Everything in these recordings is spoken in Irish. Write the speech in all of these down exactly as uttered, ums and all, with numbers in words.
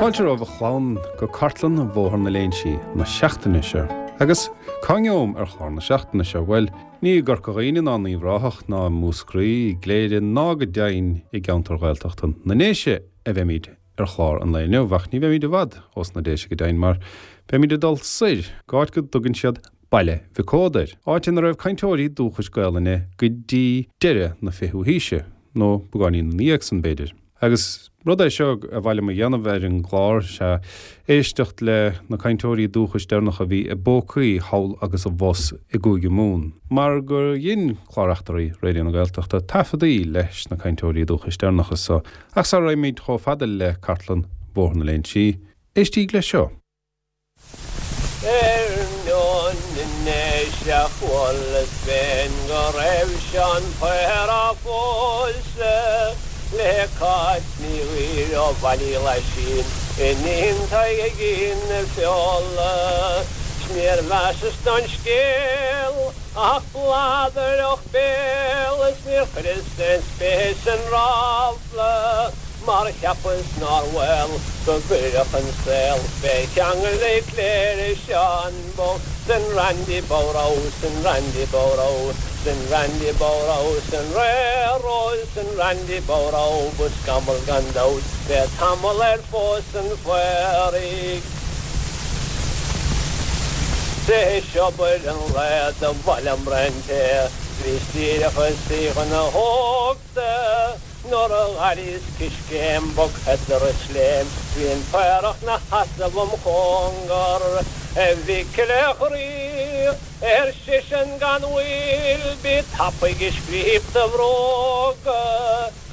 Fáilte romhaibh a chlann go cartlann Bhóthar na Léinsí na seachtaine seo. Agus cá ngeobham ar chlár na seachtaine seo bhuel, ní i gCorca Dhuibhne ná in Uíbh Ráthach ná i Múscraí, i gCléire ná go deimhin i gceantar Ghaeltachta na nDéise a bheimid ar chlár an lae inniu, ach ní bheimid i bhfad ós na Déise go deimhin mar beimid ag dul soir, go áit go dtugann siad Baile Mhic Ódair, áit ina raibh cainteoirí dúchais Gaelainne go dtí deireadh na fichiú haoise, nó beagáinín ina dhiaidh san b'fhéidir. Agus rud é seo a mhaith liom a dhéanamh ar an gclár sea éisteacht le na cainteoirí dúchais deireanacha a bhí i bpócaí thall agus abhus i gCúige Mumhan, mar gur dhein Clár Eachtraí Raidió na Gaeltachta taifeadaí leis na cainteoirí dúchais deireanacha so. Ach sara raghaimid chomh fada le cartlann Bhóthar na Léinsí, éistíg le seo. Ar ndóin anois a chualas féin go raibh Seán Paor á phósadh le Cáit Ní Ghuairim ó Bhaile Uí Laisin, iníon Thaidhgín na Feola. 'S níor mheasas don scéal ach bladaireacht béil is níor chuireas aon spéis san ráfla. Mar cheapas nár bhaol go gcuirfeadh an saol fé cheangal i gCléire Seán bocht 'san Randy Bodhrán 'san Randy Bodhrán 'san Randy Bodhrán 'san Railroad 'san Randy Bodhrán ba scamall gan dabht bheith tamall ar phós an Phaoraigh. 'Sé obair an lae do mhaith liom braon tae bhíos díreach ag suí chun a thóchta. Nuair a dh'airíos coiscéim bog headar is léim, bhí an Paorach 'na sheasamh im chóngar. A Mhicil a chroí, ar seisean gan mhoill, bí tapaidh ag scríob do bhróga,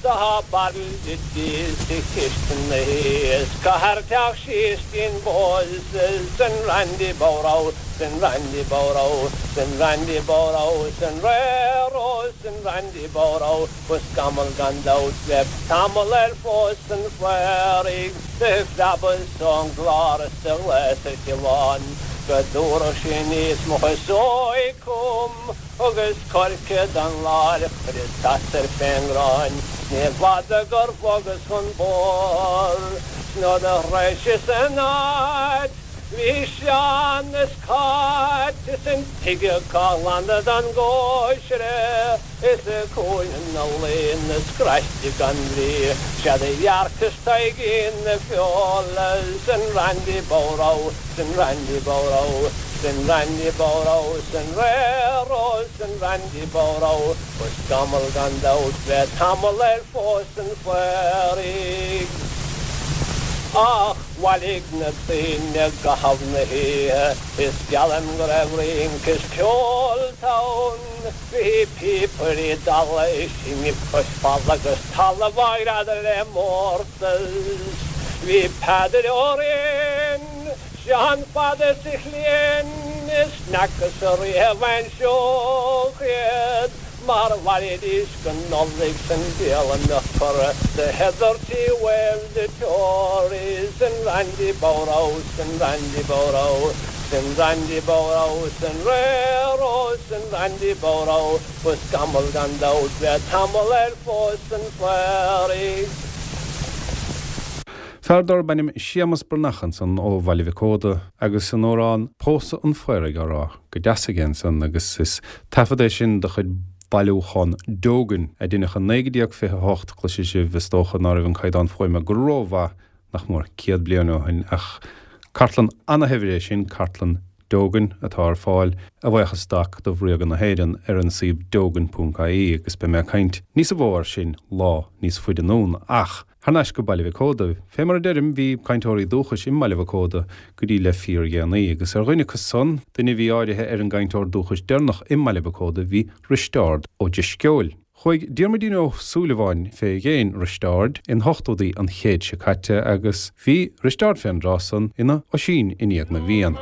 tá bairille dí sa chistin thíos, caithfear teacht síos dtí'n bpósadh san Randy Bodhrán, san Randy Bodhrán, san Randy Bodhrán, san Railroad, san Randy Bodhrán. Ba scamall gan dabht bheadh tamall ar phós an Phaoraigh. Do phreabas ón gclár is do ghlaos ar Shiobhán go dtabharfadh sí aníos mo chasóig chugam agus coirce don láthair a chuireas sasair fén ngráin. Ní bhfada gur bhogas chun bóthair 's nuair a shroiseas an áit bhí Seán is Cáit is an tigh acu á ghlanadh don gcóisir. Is i gcúinne ina luí ina scraiste gan bhrí, 'Sé do dhearcas Taidhgín na Feola 'san Randy Bodhrán, 'san Randy Bodhrán, 'san Randy Bodhrán, 'san Railroad, 'san Randy Bodhrán, Ba scamall gan dabht bheith tamall ar phós an Phaoraigh. Ach bhailigh na daoine i gcaitheamh na hoíche, is geallaim go raibh rince is ceol ann. Bhí píopairí dalla ag seinm cois falla agus talamh á ghreadadh le mórtas. Bhí Peadar Ó Rinn, Seán Fada sa Ghleann, is n'fhacas-sa riamh ainseoch iad mar mhairfidís go Nollaig 's an dialann a chur the heather tea waved the Tories 'san Randy Bodhrán 'san Randy Bodhrán 'San Randy Bodhrán, 'san Railroad, 'san Randy Bodhrán, ba scamall gan dabht bheith tamall ar phós an Phaoraigh. Fear darb ainm Séamus Breathnach ansan ó Bhaile Mhic Óda agus an amhrán Pósadh an Phaoraigh á rá go deas aige ansan agus is taifead é sin de chuid Bhailiúchán Dogan a deineadh i naoi déag fiche a hocht. Cloisfidh sibh is dócha ná raibh an caighdeán fuaime go rómhaith nach mór céad bliain ó shin, ach cartlann ana-shaibhir é sin, cartlann Dogan, atá ar fáil, a bhuíochas d'Acadamh Ríoga na hÉireann, ar an suíomh dogan ponc ie, agus beidh mé ag caint níos mó air sin lá níos faide anonn. Ach, thar n-ais go Baile Mhic Óda. Fé mar a deirim, bhí cainteoirí dúchais i mBaile Mhic Óda go dtí le fíordhéanaí, agus ar dhuine acu san, duine a bhí áirithe ar an gcainteoir dúchais deireanach i mBaile Mhic Óda, bhí Risteárd Ó Drisceoil. Chuaigh Diarmuidín Ó Súilleabháin fé dhéin Risteáird in hochtóidí an chéid seo caite agus bhí Risteárd fén dtráth san ina Oisín i ndiaidh na bhFiann.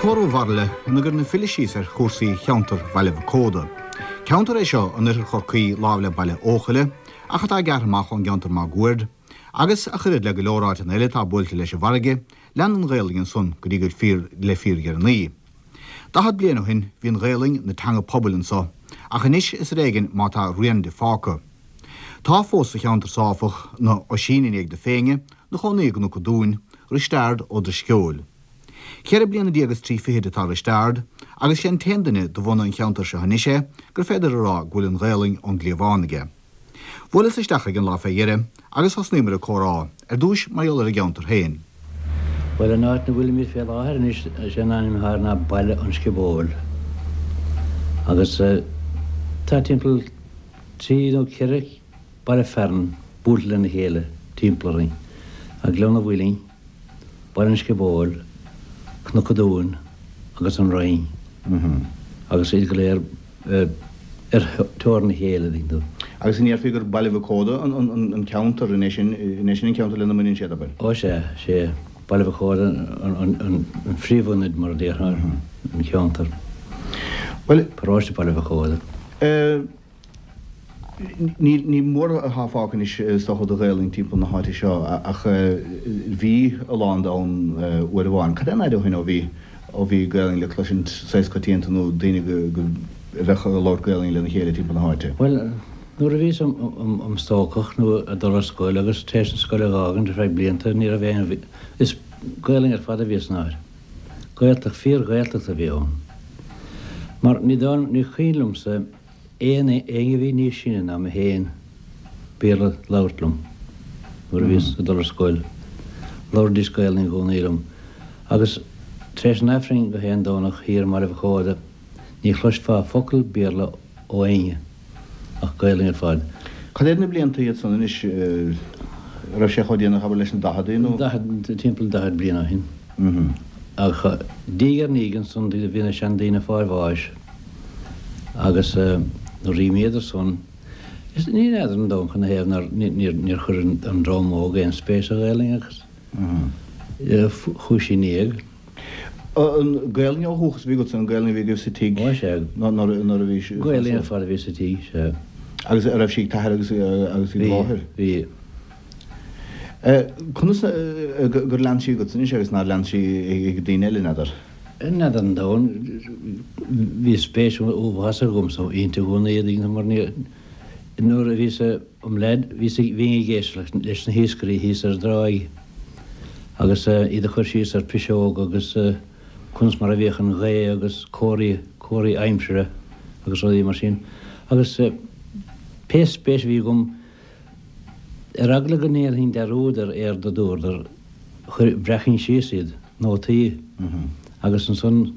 Tórramh Mhairille ina gcuireann an file síos ar chúrsaí cheantar Bhaile Mhic Óda. Ceantar é seo in oirthear Chorcaí láimh le Baile Eochaille, ach atá gearrtha amach ón gceantar máguaird, agus ach oiread le go leor áiteanna eile atá buailte leis an bhfarraige, lean an Ghaelainn ansan go dtí go fíor le fíordheireanaí. Daichead bliain ó shin bhí an Ghaelainn ina teanga pobail anso, ach anois is ar éigean má tá rian di fágtha. Tá fós sa cheantar so áfach na Oisín i ndiaidh na Féinne, 'na chónaí i gCnoc an Dúin, Risteard Ó Drisceoil. Ceithre bliana déag is trí fichid atá Risteard, agus sé an t-aon duine de bhunadh an cheantair seo anois é gur féidir a rá go bhfuil an Ghaelainn ón gcliabhán aige. Bhuaileas isteach aige an lá fé dheireadh agus thosnaíomar ag comhrá, ar dtúis mar gheall ar an gceantar féin. Bhuel, an áit 'na bhfuilimid fé láthair anois, is é an ainm atá air ná Baile an Sciobóil. Agus tá timpeall trí nó ceithre baile fearainn buailte lena chéile timpeall orainn, tá Gleann an Mhuilinn, Baile an Sciobóil, Cnoc an Dúin agus an Rinn, agus iad go léir ar teorainn a chéile, tuigeann tú. Agus an ndéarfaí gur Baile Mhic Óda an ceantar, an é sin an ceantar lena mbaineann siad, abair? Ó sea, sé Baile Mhic Óda an phríomhionad, mar a déarfá, an ceantar. Bhuel. Paróiste Baile Mhic Óda. Ní ní mór atá fágtha anois is dócha de Ghaelainn timpeall na háite seo ach bhí a lán de ann uair amháin. Cad é an fhaid ó shin ó bhí ó bhí Gaelainn le cloisint saghas coitianta nó daoine go go a bheadh ag labhairt Gaelainn lena chéile timpeall na háite? Bhuel, nuair a bhíos im stócach nó ag dul ar scoil agus tar éis an scoil a dh'fhágaint ar feadh blianta ní raibh aon is Gaelainn ar fad a bhí san áit. Gaeltacht, fíor-Ghaeltacht a bhí ann. Mar ní dóigh ní cuimhin liomsa aon éinne a bhí níos sine ná mé féin Béarla a labhairt liom nuair a bhíos ag dul ar scoil. Labhraídís Gaelainn i gcónaí liom. Agus tar éis an Aifrinn gach aon Domhnach thiar i mBaile Mhic Óda ní chloisfeá focal Béarla ó éinne ach Gaelainn ar fad. Cad iad na blianta iad san anois? An raibh sé chomh déanach abair leis na daicheadaí nó? Daichead, timpeall daichead bliain ó shin. Ach diaidh ar ndiaidh ansan bhí na seandaoine ag fáil bháis agus nuair a d'imíodar san, is ní fheadar an domhan cad 'na thaobh nár, níor, níor chuir an dream óg aon spéis sa Ghaelainn agus chuaigh sí in éag. An Gaelainn ó dhúchas a bhí agatsa, an Gaelainn a bhí agaibh sa tigh? Ó sea. Nuair a bhí sí. Gaelainn ar fad a bhí sa tigh, sea. Agus a raibh sí ag t'athair agus agus ag do mháthair? Bhí, bhí. Conas gur lean sí agatsa anois agus nár lean sí ag daoine eile, n'fheadar? N'fheadar an domhan, bhí spéis uafásach agamsa inti i gcónaí, mar ní, nuair a bhíos im leaid, bhíos, bhínn ag éisteacht leis na hiascairí thíos ar an dtráigh agus iad ag cur síos ar piseog agus conas mar a bhíodh an ghaoth agus comharthaí, comharthaí aimsire agus rudaí mar sin. Agus pé spéis a bhí agam, ar eagla go ndéanfainn dearúd ar éard a dúradar, chuir, bhreacfainn síos iad, nótaí, agus ansan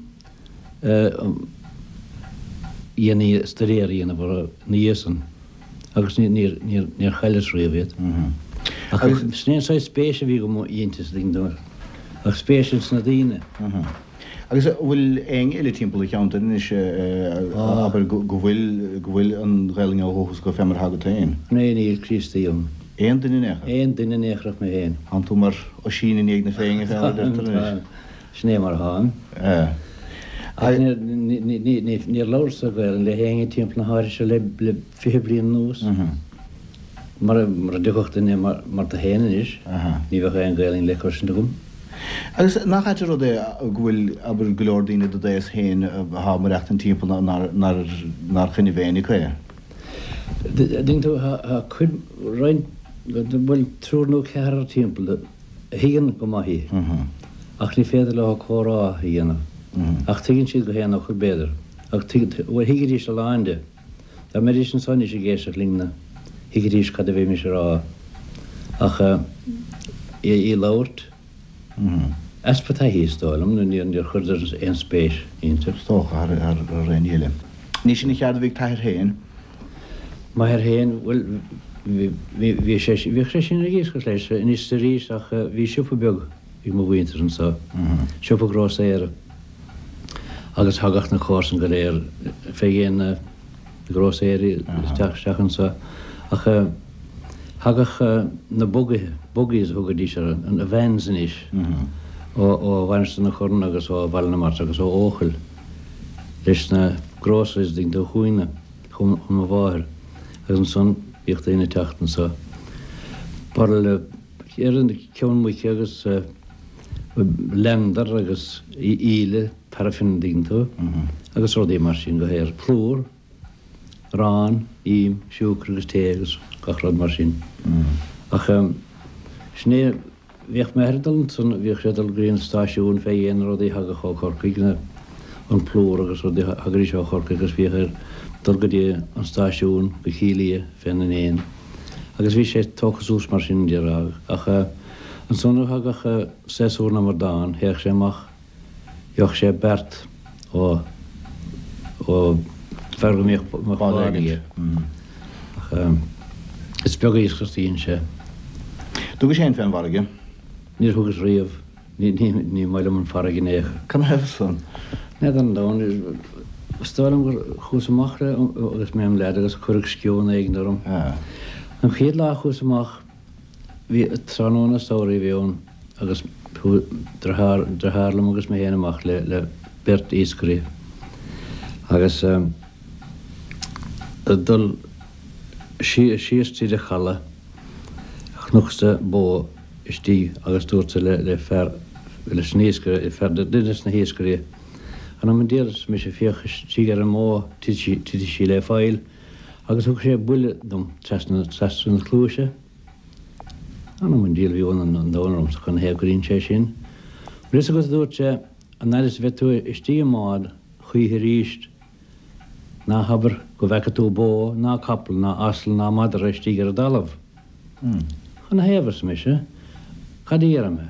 dhéanainn stuidéar a dhéanamh orthu ina dhiaidh san agus níor, níor, níor chailleas riamh iad. Ach sin é an saghas spéis a bhí agam inti, ach spéis ins na daoine. Agus an bhfuil éinne eile timpeall an cheantair anois, abair, go bhfuil, go bhfuil an Ghaelainn ó dhúchas acu fé mar atá agat féin? Ní, níl Críostaí ann. Aon duine in aon chor? Aon duine in aon chor ach mé féin. Tánn tú mar Oisín i ndiaidh na Féinne, fé mar a deirtear anois. Sin é mar atáim. Ach níor, níor labhras-sa Gaelainn le héinne timpeall na háite seo le, le fiche bliain anuas. Mura, mura dtiocfadh duine mar, mar tú féin anois, ní bheadh aon Ghaelainn le cloisint agam. Agus nach ait an rud é go bhfuil, abair, go leor daoine do d'aos féin atá ag maireachtaint timpeall nár, nár, nár choinnibh éinne acu é? Tuigeann tú, tá cuid, roinnt, bhuel, triúr nó ceathrar timpeall a thuigeann go maith í ach ní féidir leo comhrá a dhéanamh. Ach tuigeann siad gach aon fhocal, b'fhéidir. Ach bhuel, thuigfidís a lán de. Dá mbeidís anso anois ag éisteacht linn-ne, thuigfidís cad a bhímis a rá. Ach í a labhairt, easpa taithí is dóigh liom, nó níor chuireadar aon spéis inti. Is dócha, thar aon ní eile. Ní sin an cheard a bhí ag t'athair féin? M'athair féin, bhuel, bhí sé, bhíodh sé sin ag iascach leis anois is arís ach bhí siopa beag ag mo mhuintir anso, siopa grósaera, agus thagadh na comharsain go léir fé dhéin na grósaeirí isteach isteach anso. Ach thagadh na bugaithe, buggies a thugaidís orthu, na vans anois, ó Mhainistir na Corann agus ó Bhaile na Mart agus ó Eochaill leis na groceries ding do chuaine chun mo mháthair agus ansan bhíodh daoine ag teacht anso. Barraille ar an ceann muice agus leander agus íle paraffin ding tú agus rudaí mar sin go haer plúr, arán, im, siúcra agus tae agus gach rud mar sin. Ach sin é bhíodh m'athair ag dul ansan, bhíodh sé ag dul go dtí an stáisiún fé dhéin rudaí a thagadh ó Chorcaigh, na, an plúr agus rudaí a thagaidís ó Chorcaigh agus bhíodh air dul go dtí an stáisiún go Cill Aodha féna ndéin. Agus bhí sé tógtha suas mar sin déarfá. Ach ansan nuair a thagadh séasúr na mbradán, théadh sé amach, gheobhadh sé beart ó, ó fear go mbíodh bád aige. Ach is beag iascaireacht a dhein sé. Dtugais féin fén bhfarraige? Níor thugas riamh. Ní, ní, ní maith liom an farraige in aon chor. Canathaobh san? N'fheadar an domhan. Is dóigh liom gur chuas amach le agus mé im leaid agus cuireadh sceon éigin orm. An chéad lá a chuas amach, bhí tráthnóna samhraidh a bhí ann agus chuaigh deartháir, deartháir liom agus mé féin amach le, le beirt iascairí agus ag dul síos tríd an chaladh chonacsa bó istigh agus dúrtsa le, le fear, leis an iascaire, fear, duine des na hiascairí, Anam an diabhail, arsa mise, féach istigh ar an mbó, titfidh sí le faill, agus thug sé buille dom trasna, trasna na cluaise. Anam an diabhail, bhí ionadh an domhain ormsa canathaobh gur dhein sé sin. Bhfuil fhios agat, a dúirt sé, an fhad is a bheidh tú istigh i mbád choíche arís, ná habair go bhfeaca tú bó ná capall ná asal ná madra istigh ar an dtalamh. Canathaobh, arsa mise, cad a déarfaidh mé?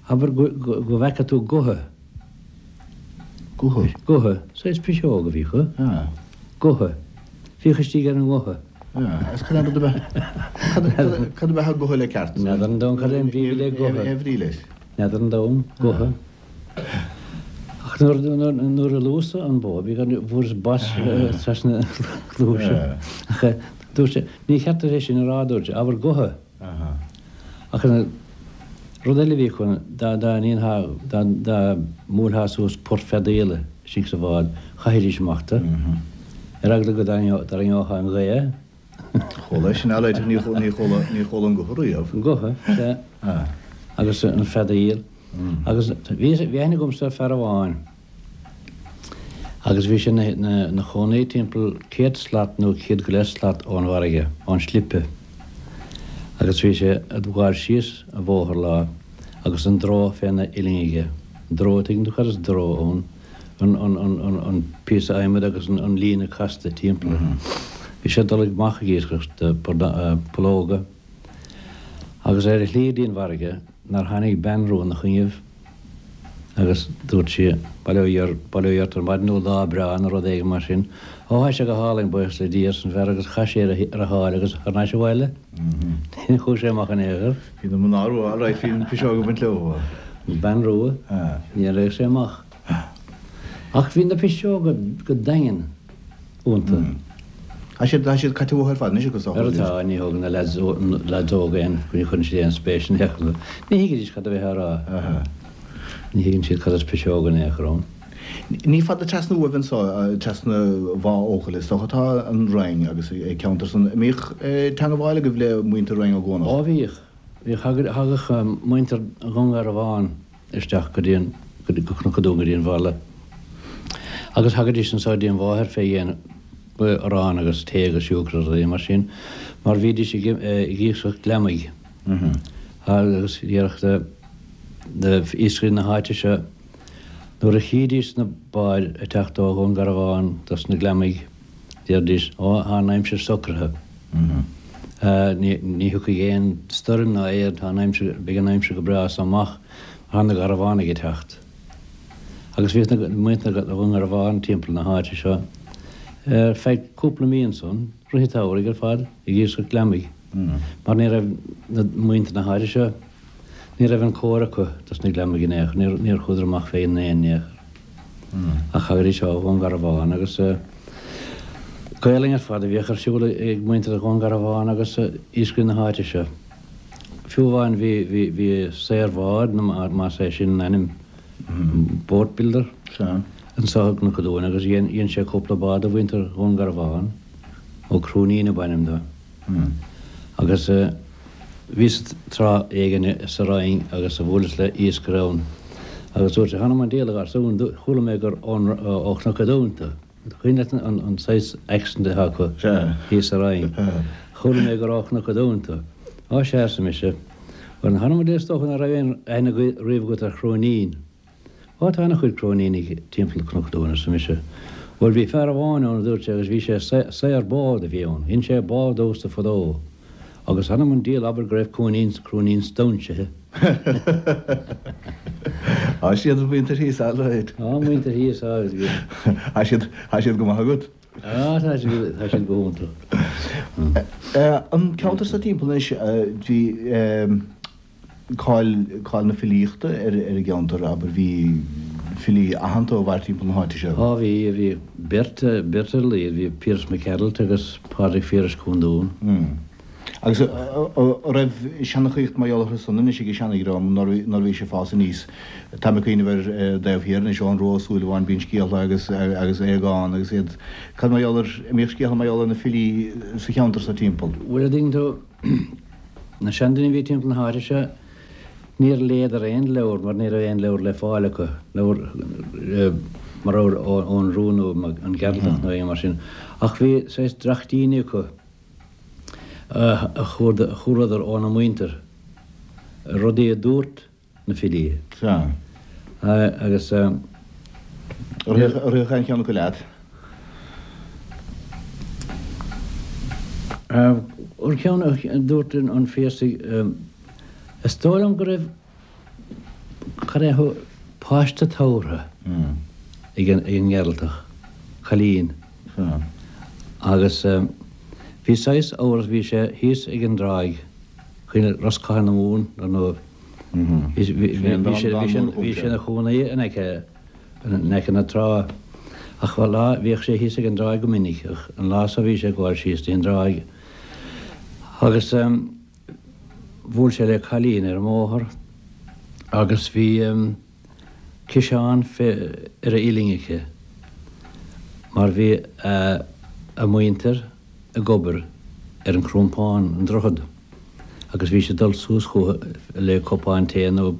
Abair go, go, go bhfeaca tú gotha. Gotha? Gotha. Saghas piseog a bhí acu. Gotha. Féach istigh ar an ngotha. Agus cad é an rud ab ea, cad, cad, cad ab ea gotha le ceart? N'fheadar an domhan cad é an bhrí le gotha. Aon bhrí leis? N'fheadar an domhan. Gotha. Ach nuair, nuair, nuair a luas-sa an bó, bhí gan, fuaireas bos trasna na cluaise. Ach dúirt sé, ní cheart duit é sin a rá, a dúirt sé, abair gotha. Ach rud eile a bhí acu, dá, dá ndéanfá, dá, dá mbuailfeá suas port feadaíola istigh sa bhád, chaithfidís amach tú, ar eagla go dtarraingeochthá an ghaoth. Chuala é sin, alright, ach ní, ní chuala, ní chuala an gotha riamh. An gotha, sea. Agus an feadaíl. Agus bhí, bhí aithne agamsa ar fear amháin agus bhí sé 'na chónaí timpeall céad slat nó céad go leith slat ón bhfarraige, ón slipe. Agus bhí sé ag gabháil síos an bhóthar lá agus an dró féna uillinn aige. Dró, tuigeann tú cad is dró ann? An, an, an, an, an píosa adhmaid agus an, an líne casta timpeall air. Bhí sé ag dul amach ag iascaireacht pollóga agus ar a shlí go dtí an bhfarraige nár tháinig bean rua 'na choinnibh agus dúirt sí, Bail ó Dhia ort ar maidin nó lá breá nó rud éigin mar sin. Ó, thá sé go hálainn, buíochas le Dia, arsa an fear agus chaith sé ar a sháil agus thar n-ais abhaile. Ní chuaigh sé amach in aon chor. Bhí na mná rua alright, bhí an piseog ag baint leo. An bean rua, ní raibh sé amach. Ach bhí na piseoga go daingean iontu. Tá siad, tá siad caite uathu ar fad anois agus Ar atá, ní thógann na lads, lads óga aon, ní chuireann siad aon spéis in aon chor. Ní thuigfidís cad a bheifeá a rá. Ní thuigeann siad cad is piseog in aon chor ann. Ní fada trasna uaibh anso, trasna Bhá Eochaille is dócha atá an Rinn agus an ceantar san. An mbíodh teangabháil agaibh le muintir Rinn Ó gCuanach? Ó bhíodh. Bhíodh, thagadh muintir Dhún Garbhán isteach go dtí an, go Cnoc an Dúin go dtí an bhaile agus thagaidís anso go dtí an mháthair fé dhéin arán agus tae agus siúcra agus rudaí mar sin mar bhídís ag iascaireacht gliomaigh agus déarfadh iascairí na háite seo nuair a chídís na báid ag teacht ó Dhún Garbhán dos na gliomaigh déarfaidís ó tá an aimsir socraithe ní ní thiocfaidh aon stoirm ná aon tá an aimsir beidh an aimsir go breá as so amach mar tá na Garbhánaigh ag teacht. Agus bhíodh na muintir Dhún Garbhán timpeall na háite seo ar feadh cúpla mí ansan, rith an tsamhraidh ar fad, ag iascaireacht gliomaigh, mar ní raibh na muintir na háite seo, ní raibh an cóir acu dos na gliomaigh in aon chor, níor, níor chuadar amach féin in aon chor. Ach thagaidís ó Dhún Garbhán agus Gaelainn ar fad a bhíodh ar siúl ag muintir Dhún Garbhán agus iascairí na háite seo. Fiú amháin bhí, bhí, bhí saor bhád, nó más é sin an ainm, boat builder, anso i gCnoc an Dúin agus dhein, dhein sé cúpla bád do mhuintir Dhún Garbhán, Ó Cróinín ab ainm dó. Agus bhíos tráth éigin sa Rinn agus bhuaileas le iascaire ann agus dúirt sé, Th'anam 'on diabhal a gharsúin, chuala mé gur ón, ó Chnoc an Dúin tú. Cuimhin leat an saghas accent atá acu thíos sa Rinn. Chuala mé gur ó Chnoc an Dúin tú. Á sea, arsa mise. Bhuel, th'anam 'on diabhal is dócha nach raibh aon aithne riamh agat ar Chróinín. Á tá ana-chuid Cróinínigh timpeall Chnoc an Dúin, arsa mise. Bhuel, bhí fear amháin ann, a dúirt sé, agus bhí sé, saor bád a bhí ann. Dhein sé bád domhsa fadó. Agus th'anam 'on diabhal abair go raibh Cróinín, Cróinín stóinsithe. Tá siad an mhuintir thíos alright. Tá an mhuintir thíos agus bhí. Tá siad, tá siad go maith agat. Á, tá siad, tá siad go hiontach. An ceantar seo timpeall anois, bhí cáil, cáil na filíochta ar ar an gceantar, abair, bhí filí aitheanta ó mhair timpeall na háite seo. Á bhí, bhí beirt, beirt ar a laghad, bhí Piaras Mac Gearailt agus Pádraig Phiarais Cúndún. Agus an raibh seanchaíocht mar gheall orthu san anois ag an seanadhream nuair a bhí sé ag fás aníos? Táim ag cuimhneamh ar an dtaobh thiar anois, Eoghan Rua Ó Súilleabháin, bíonn scéalta agus agus Aogán agus iad. Cad mar gheall ar, an mbíodh scéalta mar gheall ar na filí sa cheantar so timpeall? Bhuel, a dtuigeann tú, na seandaoine a bhí timpeall na háite seo, níor léadar aon leabhar mar ní raibh aon leabhar le fáil acu, leabhar mar leabhar Eoghan Rua nó an Gearaltach nó aon mar sin. Ach bhí saghas dreachtíní acu. a chualadar óna muintir, rudaí a dúirt na filí. Sea. Agus. Ar rith aon cheann acu leat? An ceann a dúirt an Piarsach, is dóigh liom go raibh, cad é, páiste tabhartha ag an nGearaltach, cailín. Agus bhí saghas amhras, bhí sé thíos ag an dtráigh, cuimhin Ros Catha na Mumhan, ar ndóigh. Bhí sé ina chónaí in aice, in aice na trá. Ach lá, bhíodh sé thíos ag an dtráigh go minic, ach an lá so bhí sé ag gabháil síos dtí an dtráigh. Agus bhuail sé le cailín ar an mbóthar agus bhí ciseán ar a uillinn aici mar bhí a muintir ag obair ar an Crompán, an droichead, agus bhí siad ag dul suas chucu le cupán tae nó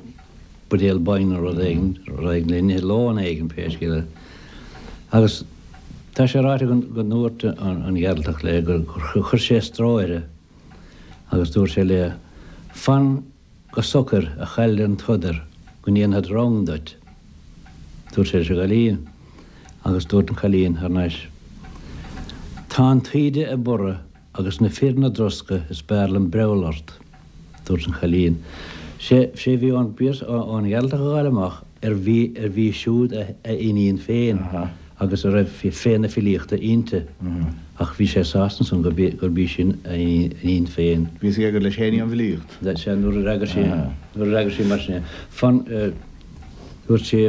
buidéal bainne nó rud éigin, rud éigin le n-ithe, lón éigin pé scéal é. Agus tá sé ráite go ndúirt an Gearaltach léi gur chuir sé stró uirthi agus dúirt sé léi, 'Fan Go socair, a chailleadh an tsodar, go ndéanfad rang duit, dúirt sé leis an gcailín, agus dúirt an cailín thar n-ais, Tá an taoide ag borradh agus na fir 'na dtroscadh is b'fhearr liom breall ort, dúirt an cailín. Sé sé bhí ón ón Ghearaltach a dh'fháil amach ar bhí ar bhí siúd a a iníon féin agus a raibh féith na filíochta inti. Ach bhí sé sásta ansan gurb í, gurb í sin a iníon féin. Bhí a fhios aige gur leis féin í an bhfilíocht. Sea, nuair a fhreagair sí, nuair a fhreagair sí mar sin é. Fan, dúirt sí,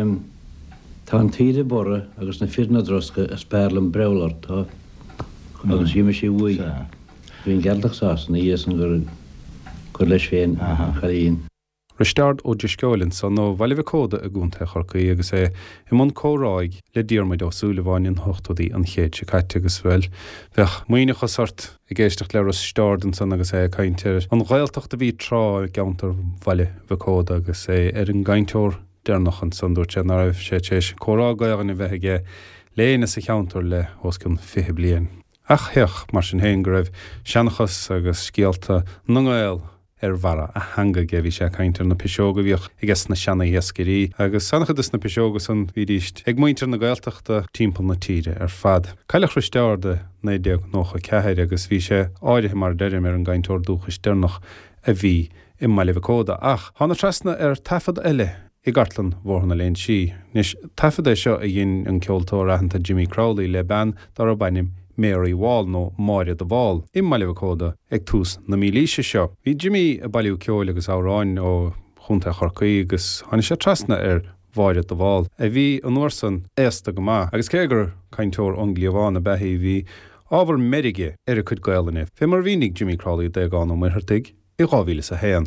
tá an taoide ag borradh agus na fir 'na dtroscadh is b'fhearr liom breall ort, tá. Agus d'imigh sí uaidh. Bhí an Gearaltach sásta ina dhiaidh san gur, gur leis féin an cailín. Risteárd Ó Drisceoil ansan ó Bhaile Mhic Óda i gContae Chorcaí agus é i mbun comhráidh le Diarmuid Ó Súilleabháin in ochtóidí an chéid seo caite agus, bhuel, bheadh maoithneachas ort ag éisteacht le Risteárd ansan agus é ag caint ar an Ghaeltacht a bhí tráth i gceantar Bhaile Mhic Óda agus é ar an gcainteoir deireanach ansan. Dúirt sé ná raibh sé tar éis comhrá Gaelainne a bheith aige le éinne sa cheantar le os cionn fiche bliain. Ach théadh, mar sin féin, go raibh seanchas agus scéalta na nGael ar bharra a theanga aige. Bhí sé ag caint ar na piseoga a bhíodh aige na seana-iascairí, agus an-chuid de na piseoga san bhídíst ag muintir na Gaeltachta timpeall na tíre ar fad. Cailleadh Risteárd i naoi déag nócha ceathair agus bhí sé áirithe, mar a deirim, ar an gcainteoir dúchais deireanach a bhí i mBaile Mhic Óda. Ach thána trasna ar taifead eile i gcartlann Bhóthar na Léinsí. Anois, taifead é seo a dhein an ceoltóir aitheanta Jimmy Crowley le bean dá raibh ainm Mary Wall, nó Máire de Bhál, i mBaile Mhic Óda ag tús na mílaoise seo. Bhí Jimmy ag bailiú ceoil agus amhráin ó Chontae Chorcaí agus tháinig sé trasna ar Mháire de Bhál, a bhí an uair san aosta go maith, agus cé gur cainteoir ón gcliabhán ab ea í, bhí ábhar meirge ar a cuid Gaelainne, fé mar a mhínigh Jimmy Crowley d'Aogán Ó Muircheartaigh i dhá mhíle is a haon.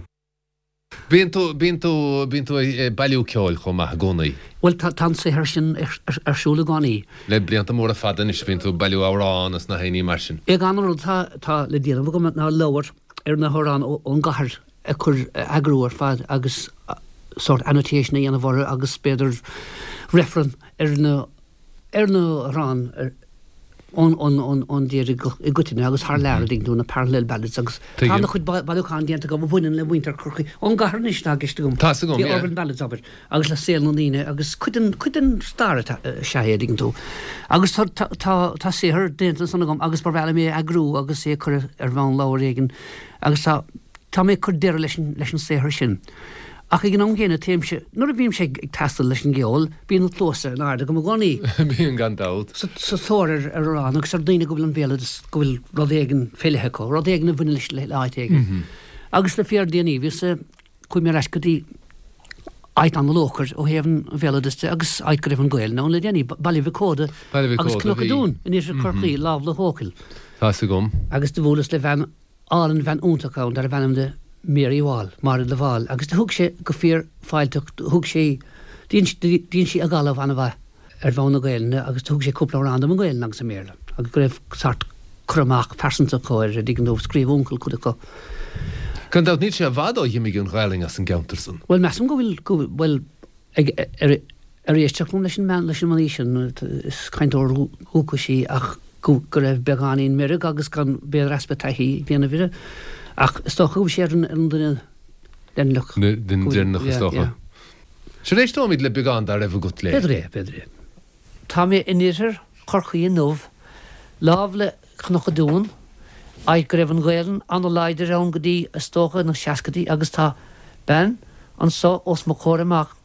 Bíonn tú, bíonn tú, bíonn tú ag bailiú ceoil chomh maith i gcónaí. Bhuel, tá, tá an saothar sin ar, ar, ar siúl i gcónaí. Le blianta móra fada anois bíonn tú ag bailiú amhrán is na héiní mar sin. Ag an rud tá, tá le déanamh agam ná leabhar ar na hamhráin ón gcathair a chur a eagrú ar fad agus sort annotation a dhéanamh orthu agus b'fhéidir reifreann ar na ar na hamhráin ar ón ón ón ón dtír i gcoitinne agus thar lear, an dtuigeann tú, na parallel ballads agus tá Tuigim. ana-chuid bailiúchán déanta agam a bhaineann le muintir Chorcaí ón gcathair anois atá i gceist agam. Tá's agam, The yeah. urban ballads abair agus le saol na ndaoine agus cuid den cuid den stair atá is ea é, an dtuigeann tú. Agus tá tá tá tá saothar déanta ansan agam agus ba bhreá liom é a eagrú agus é a chur ar bhonn leabhar éigin agus tá tá mé ag cur deireadh leis an leis an saothar sin. Ach ag an am gcéanna téimse, nuair a bhímse ag taisteal leis an gceol, bíonn na cluasa in airde agam i gcónaí. Bíonn gan dabht. Sa tóir ar ar amhrán agus ar daoine go bhfuil an bhéaloideas, go bhfuil rud éigin fé leith acu, rud éigin a bhaineann leis le áit éigin. Agus le fíordhéanaí bhíos, chuaigh mé ar ais go dtí áit an-luachmhar ó thaobh an bhéaloideas de agus áit go raibh an Ghaelainn ann le déanaí, Baile Mhic Óda Baile Mhic agus Óda, Cnoc an bhí. Dúin in iarthar Chorcaí, lámh le hEochaill. Tá's agam. Agus do bhuaileas le bhean álainn, bhean iontach ann darbh ainm di Mary Wall, Máire de Bhál, agus do thug sé go fíor fáilteach, thug sé, dhein sí agallamh an-mhaith ar bhonn na Gaelainne agus do thug sé cúpla amhrán dom i nGaelainn agus i mBéarla agus go raibh sórt cur amach pearsanta acu air, an dtuigeann tú, scríobh uncail cuid acu. Gan dabht níl sé i bhfad ó dh'imigh an Ghaelainn as an gceantar san. Bhuel, measaim go bhfuil, go bhfuil, bhuel, ag, ar, ar éisteacht liom leis an mbean, leis an mnaoi sin, is cainteoir dhúchais í ach go, go raibh beagáinín meirg agus gan, b'fhéidir easpa taithí ag déanamh uirthi. Ach is dócha go bhfuil sé ar an, ar an duine deireanach. Duine deireanach is Yeah, dócha. yeah. Sea, éisteoimid le beagán dá raibh agat léi. B'fhéidir é, b'fhéidir é. Tá mé in iarthar Chorcaí inniu, lámh le Cnoc an Dúin, áit go raibh an Ghaelainn an-láidir ann go dtí, is dócha, na seascaidí agus tá bean anso os mo chomhair amach,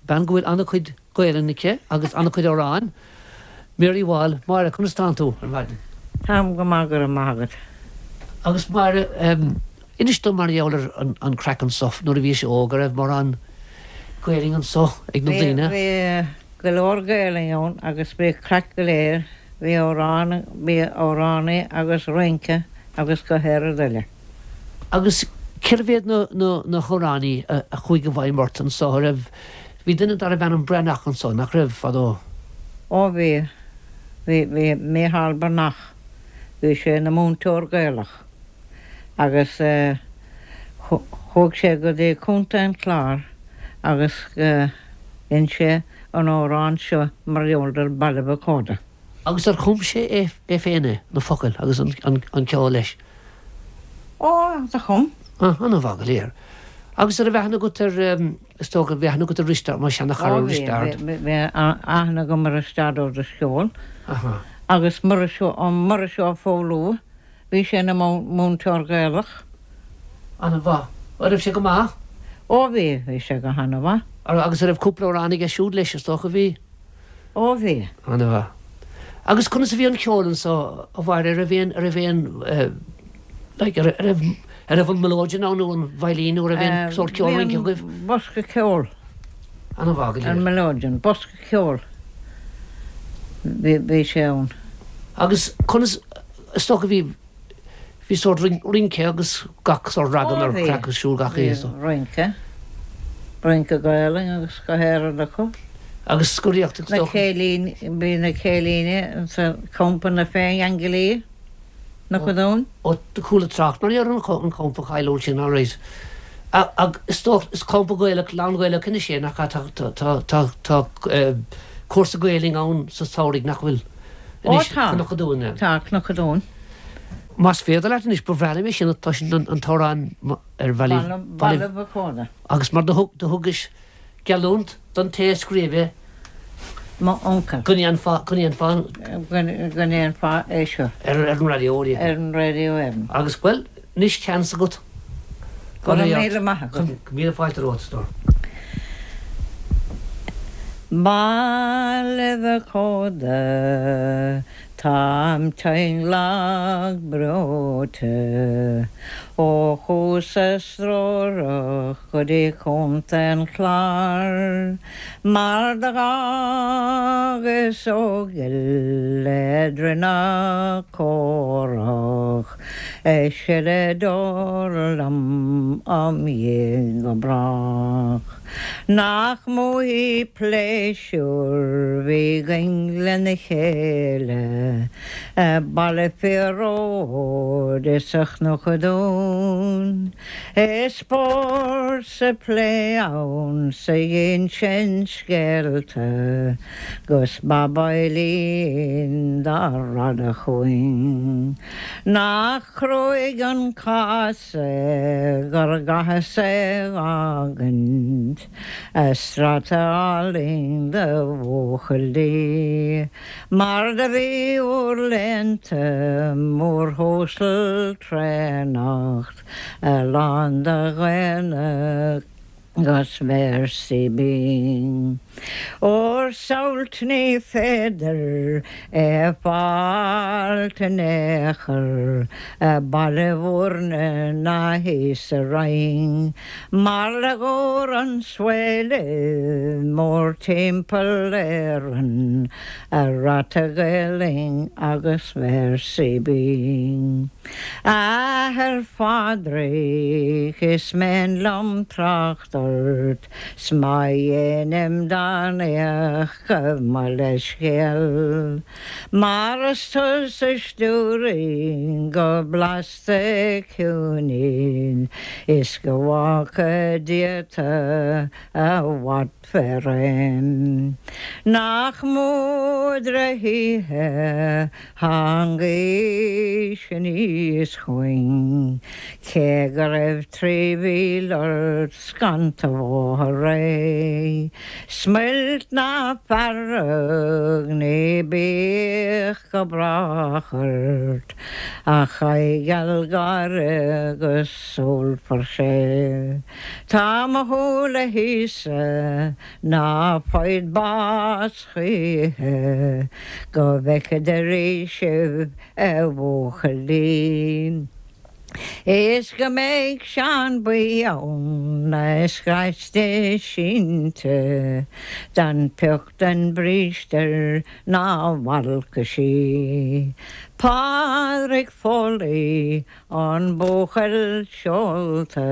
bean go bhfuil an-chuid Gaelainn aici agus an-chuid amhráin, Mary Wall. Máire, conas tánn tú ar maidin? Táim go maith, go raibh maith agat. Agus Máire, inis dom mar gheall ar an craic anso nuair a bhís óg, an raibh mórán Gaelainn anso ag na daoine? Bhí go leor Gaelainn ann agus bhí craic go léir, bhí amhrán, bhí amhránaí agus rince agus go háirid eile. Agus cérbh iad na, na, na hamhránaí a, a chuaigh i bhfeidhm ort anso? An raibh, bhí duine darbh ainm Breathnach anso, nach raibh, fadó? Ó bhí, bhí, bhí Micheál Breathnach, bhí sé ina mhúinteoir Gaelach agus eh, chuaigh sé go dtí Contae an Chláir agus dhein sé an amhrán seo mar gheall ar Baile Mhic Óda. Agus ar chum sé é, é féin é, na focail agus an, an, an ceol leis? Ó, do chum. Ah, ana-mhaith go léir. Agus an raibh aithne agat ar, is dócha, bhí aithne agat ar Risteard, mar seanachara Ó, bhí, Risteard. bhí, bhí aithne agam ar Risteard Ó Drisceoil. Aha. Agus Muiris Ó, Muiris Ó Foghlú, bhí sé ina mhúinteoir Gaelach. Ana-mhaith. An raibh sé go maith? Ó bhí, bhí sé go hana-mhaith. Agus an raibh cúpla amhrán aige siúd leis, is dócha, bhí? Ó bhí. Ana-mhaith. Agus conas a bhí an ceol anso, a Mháire, an raibh aon, an raibh aon, like, an raibh, an raibh an melodeon ann nó an veidhlín nó an raibh aon sórt ceol rince agaibh? Bhí an bosca ceoil. Ana-mhaith go léir. An melodeon, bosca ceoil. Bhí, bhí sé ann. Agus conas, is dócha bhí, bhí sórt rince agus gach sórt ragam ar chraic ar siúl gach oíche, is dócha. Rince. Rince Gaelainn agus go háirid acu. Agus scoraíocht is Na dócha. céilíní, bhí na céilíní sa campa na Féin-Aingilí, Cnoc an Dúin. Ó, do chuala trácht mar ar an champa cáiliúil sin, alright. Ag, is dócha, is campa Gaelach, lán-Ghaelach anois é, nach ea? Tá, tá, tá, tá cúrsa Gaelainn ann sa samhradh, nach bhfuil? Ó, Anois, tá. Cnoc an Dúin, yeah. Tá, Cnoc an Dúin. Más féidir leat anois, ba bhreá liom é sin a chloisint, an t-amhrán ar Bhaile, Baile Mhic Óda. Agus mar do thug, do thugais geallúint don té a scríobh é. Mo uncail. Go ndéanfá, go ndéanfá an. Go ndéanfá é seo. Ar, ar an raidió, yeah. Ar an raidió Éireann. Agus, bhuel, anois seans agat. Go raibh míle maith agat. Míle fáilte romhat, a stór. Baile Mhic Óda, táim tinn lag breoite, ó chuas-sa strórach go dtí Contae an Chláir, mar do dh'fhágas Eochaill le droim na córach, Is le dul liom am dhiaidh go brách. Nach mó pléisiúr bhí againn lena chéile Baile Phearóid is a Chnoc an Dúin. Is spórt 's a plé ann 's a dh'insean scéalta 'Gus Bob Eileen dá radadh chugainn. Nach cruaidh an cás é gur gcaitheas é dh'fhágaint a strata álainn de bhuachaillí, Mar do bhí úr léannta mórshuasal tréanach a lán de dhaoine 'gus véarsaí binn. Óir samhailt ní féidir é fáilt in aon chor i Baile Mhúirne ná thíos sa Rinn, mar le gabhair an swaile mórtimpeall Éireann a rata Gaelainn agus véarsaí binn. A Athair Phádraig is mian liom trácht ort 's má dhéanaim dán éach gabh mo leithscéal, Mar is tusa stiúraigh go blasta ciúin is go bhfágtha Dia tu i bhfad fé réim. Nach mó drochoíche tháing aois aníos chugainn, cé go raibh trí mhíle ort scanta bhóthar réidh. Smuilt ná fearg ní bíodh go brách ort, ach aghaidh gheal gáire 'gus súil fuar. Tá mo shúil a hÍosa ná foighid bás choíche go bhfeicfead arís sibh a bhuachaillí. Is go mbeidh Seán Buí ann a scraiste sínte don pioc den bríste ná bhfalca sí. Pádraig Foley an buachaill seolta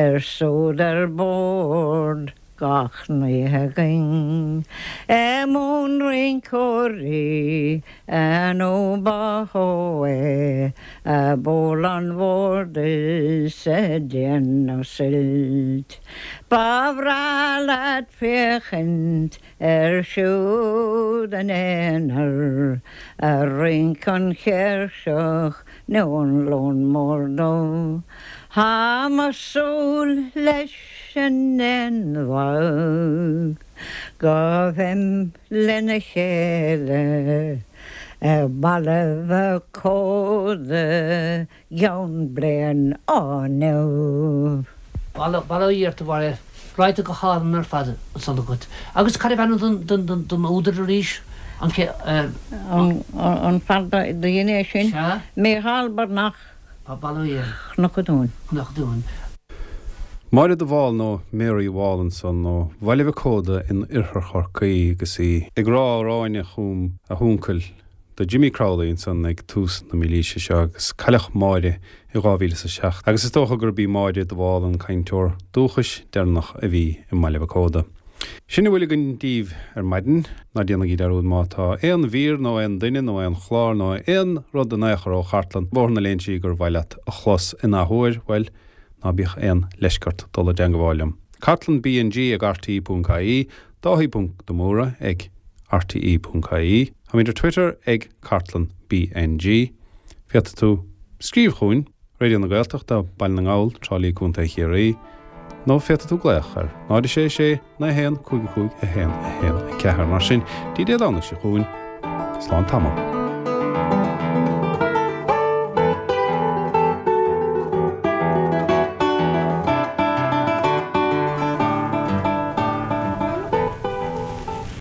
ar súd ar bord gach n-oíche againn. I mbun rinceoirí nó ba shó é a bhuail an bord is a déanamh suilt. Ba bhreá leat féachaint ar siúd in aonar a rinc an chéirseach nó an lon mór dubh. Tá mo súil leis an aonmhaith go bhfeim lena chéile i Baile Mhic Códa gceann bliain ó inniu. Bail ó Dhia ort a Mháire ráite go hálainn ar fad ansan agat. Agus cad é ainm don údar arís? An An fear do dhein é sin? Mícheál Breathnach. Bail ó Dhia. Cnoc an Dúin. Cnoc an Dúin. Máire de Bhál nó Mary Wall ansan ó Bhaile Mhic Códa in oirthear Chorcaí agus í ag rá amhráin a chum a huncail do Jimmy Crowley ansan ag tús na mílaoise seo agus cailleadh Máire i dhá mhíle is a seacht agus is dócha gurb í Máire de Bhál an cainteoir dúchais deireanach a bhí i mBaile Mhic Códa. Sin a bhfuil againn daoibh ar maidin, ná déanaigí dearúd má tá aon mhír nó aon duine nó aon chlár nó aon rud in aon chor ó chartlann Bhóthar na Léinsí gur mhaith leat a chlos in athuair, bhuel, ná bíodh aon leisce ort dul i dteangmháil liom. Cartlann BNG ag RTE ponc IE, Dáithí ponc de Mórdha ag RTE ponc IE, Táimid ar Twitter ag Cartlann BNG. Féadfaidh tú scríobh chugainn, Raidió na Gaeltachta, Baile na nGall, Trá Lí, Contae Chiarraí, nó féadfaidh tú glaoch ar náid a sé sé naoi haon cúig a cúig a haon a haon a ceathair. Mar sin, dtí Dé Domhnaigh seo chugainn, slán tamall.